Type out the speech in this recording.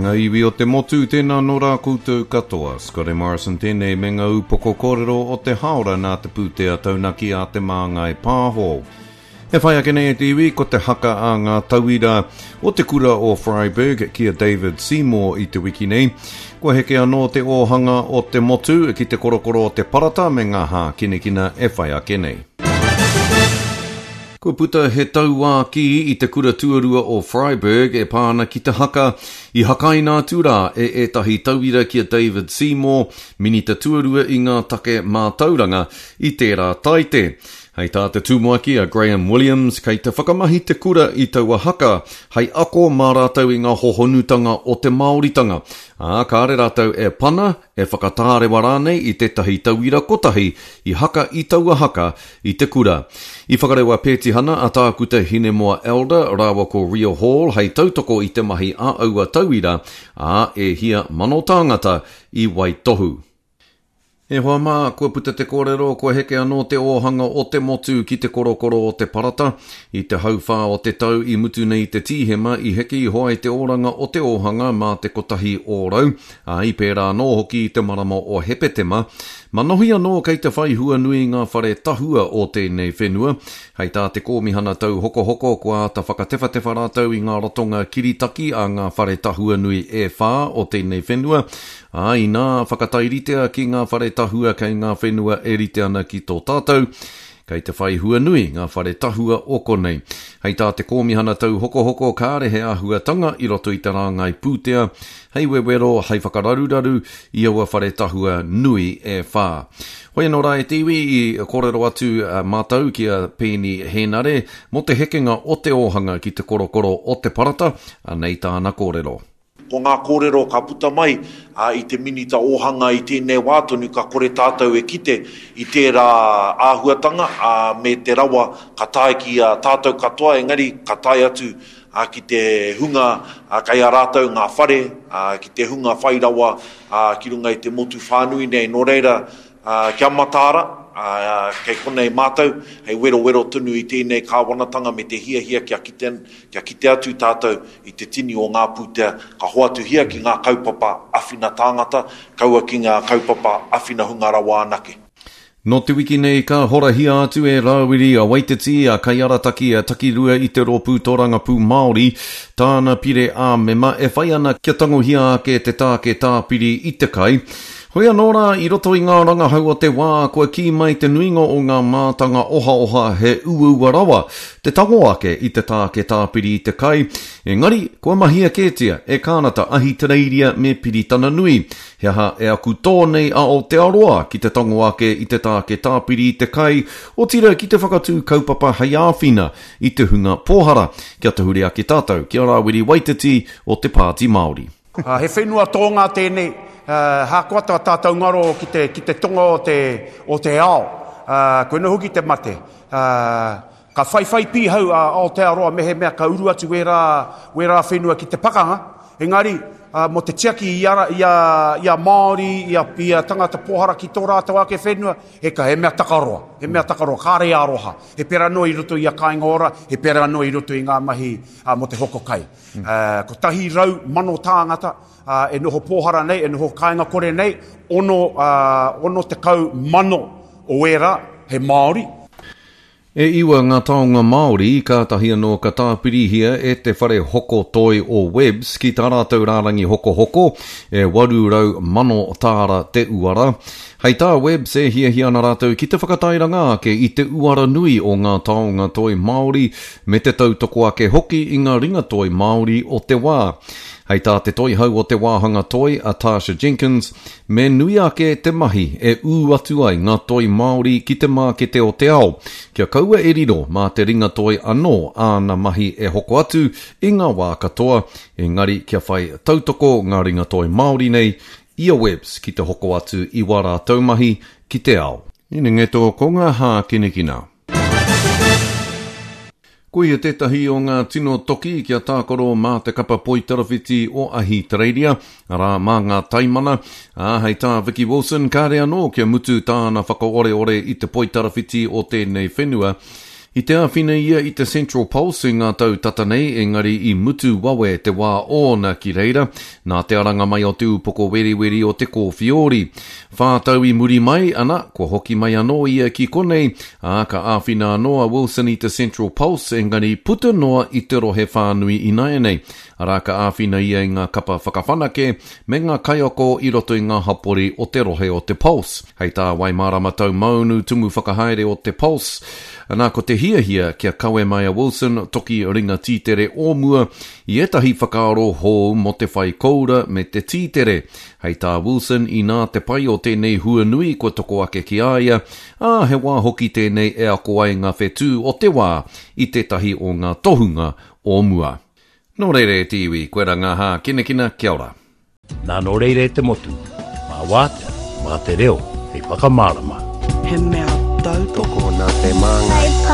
ngā iwi o te motu, tēnā nō rā koutou katoa. Scotty Morrison tēnei me ngā upoko kōrero o te hāora nā te pūtea taunaki a Te Māngai Pāho. E whai ake nei e te iwi, ko te haka a ngā tauira o te kura o Freyberg ki a David Seymour i te wiki nei. Kua heke anō te ōhanga o te motu ki te korokoro o te parata me ngā hākinakina e whai ake nei. Kua puta he tauākī i te kura tuarua o Freyberg e pā ana ki te haka i hakaina atu rā e ētahi tauira ki a David Seymour, Minita Tuarua i ngā take mātauranga, i tērā taite. Hei tā te tumuaki a Graham Williams, kei te whakamahi te kura i taua haka hei ako mā rātou i ngā hohonutanga o te Māoritanga, ā, kāre rātou e pana, e whakatārewa rānei i tētahi tauira kotahi i haka i taua haka i te kura. I whakarewa pētihana a Tākuta Hinemoa Elder rāua ko Ria Hall hei tautoko i te mahi a aua tauira, ā, e hia mano tāngata i waitohu. E hoa mā, kua puta te kōrero, kua heke anō te ōhanga o te motu ki te korokoro o te parata. I te hauwhā o te tau i mutu nei te Tīhema, i heke iho ai te oranga o te ōhanga mā te 1%, ā, i pērā anō hoki i te marama o Hepetema. Manohi anō kei te whai hua nui ngā whare tahua o tēnei whenua. Hei tā te Kōmihana Tauhokohoko, kua āta whakatewhatewha rātou i ngā ratonga kiritaki a ngā whare tahua nui e whā o tēnei whenua, Ā, inā whakatairitea ki ngā whare tahua kei ngā whenua e rite ana ki tō tātou, kei te whai hua nui ngā whare tahua o konei. Hei tā te Kōmihana Tauhokohoko kāre he āhuatanga i roto i te rāngai pūtea hei wewero, hei whakararuraru i aua whare tahua nui e whā. Hoi anō rā e te iwi, i kōrero atu mātou ki a Peeni Hēnare mō te hekenga o te ōhanga ki te korokoro o te parata, anei tāna kōrero. Ko ngā kōrero ka puta mai i te Minita Ōhanga i tēnei wā tonu ka kore tātou e kite i tērā āhuatanga me te rawa ka tae ki a tātou katoa engari ka tae atu ki te hunga kei a rātou ngā whare, ki te hunga whai rawa ki runga i te motu whānui nei. Nō reira, Kia mataara, kei konei mātou, hei werowero tonu i tēnei kāwanatanga me te hiahia kia kite, kia kite atu tātou i te tini o ngā pūtea ka hoatuhia ki ngā kaupapa awhina tāngata, kaua ki ngā kaupapa awhina hunga rawa anake. Nō te wiki nei ka horahia atu e Rāwiri a Waititi, a Kaiarataki, a Takirua i te Rōpū Tōrangapū Māori, tāna pire ā-mema e whai ana kia tangohia ake te tāke tāpiri i te kai. Hoi anō rā, i roto i ngā rangahau o te wā, kua kī mai te nuinga o ngā mātanga ohaoha he uaua rawa te tango ake i te tāke tāpiri i te kai, engari, kua mahia kētia e Kānata, Ahitereiria me Piritana Nui. He aha e aku tō nei a Aotearoa ki te tango ake i te tāke tāpiri i te kai, otirā ki te whakatū kaupapa hei āwhina i te hunga pōhara, kia tahuri ake tātou ki a Rāwiri Waititi o te Pāti Māori. He whenua tōnga tēnei, hakoa tā tātou ngaro ki te, ki te tonga o te, o te ao. Koina hoki te mate. Ka whaiwhai pīhau a Aotearoa mehemea ka uru atu wērā, wērā whenua ki te pakanga, engari, mō te tiaki i a, i a, i a Māori, i a, i a tangata pōhara ki tō rātou ake whenua, he ka, he mea takaroa, he mea takaroa, kāre e aroha. He pērā noa i roto i a Kāinga Ora, he pērā noa i roto i ngā mahi mō te hoko kai. 100,000 tāngata e noho pōhara nei, e noho kāinga kore nei, 60,000 o ērā he Māori. E iwa ngā taonga Māori kātahi anō ka tāpirihia e te whare hoko toi o Webbs ki tā rātou rārangi hokohoko, e 800,000 tāra te uara. Hei tā Webbs e hiahia ana rātou ki te whakatairanga ake i te uara nui o ngā taonga toi Māori me te tautoko ake hoki i ngā ringatoi Māori o te wā. Hei tā te toihau o te wāhanga toi, a Tarsha Jenkins, me nui ake te mahi e ū atu ai ngā toi Māori ki te mākete o te ao, kia kaua e riro mā te ringatoi anō āna mahi e hoko atu i ngā wā katoa, engari kia whai tautoko ngā ringatoi Māori nei i a Webbs ki te hoko atu i wā rātou mahi ki te ao. Inengeto ko ngā hākinakina. Ko ia tētahi o ngā tino toki kia tākaro mā te kapa poitarawhiti o Ahitereiria, arā, mā ngā taimana, ā, hei tā Vicki Wilson, kāre anō kia mutu tāna whakaoreore i te poitarawhiti o tēnei whenua. I te āwhina ia i te Central Pulse i ngā tau tata nei, engari i mutu wawe te wā ōna ki reira, nā te aranga mai o te upoko weriweri o te kōwhiori. Whā tau i muri mai, ana, kua hoki mai anō ia ki konei, ā, ka āwhina anō a Wilson i te Central Pulse, engari puta noa i te rohe whānui ināianei. Arā, ka āwhina ia i ngā kapa whakawhanake me ngā kaiako i roto i ngā hapori o te rohe o te Pulse. Hei tā Waimārama Taumaunu, Tumu Whakahaere o te Pulse, Nā, ko te hiahia kia kawe mai a Wilson, toki ringa tītere o mua, i ētahi whakaaro hou mō te whai koura me te tītere. Hei tā Wilson, inā te pai o tēnei huanui kua toko ake ki a ia, ā, he wā hoki tēnei e ako ai ngā whetū o te wā i tētahi o ngā tohunga o mua. Nō reira e te iwi, koe ra ngā hākinakina, kia ora. Nā nō reira e te motu, mā wātea, mā te reo hei whakamārama. He mea tautoko. Tokona te māngai.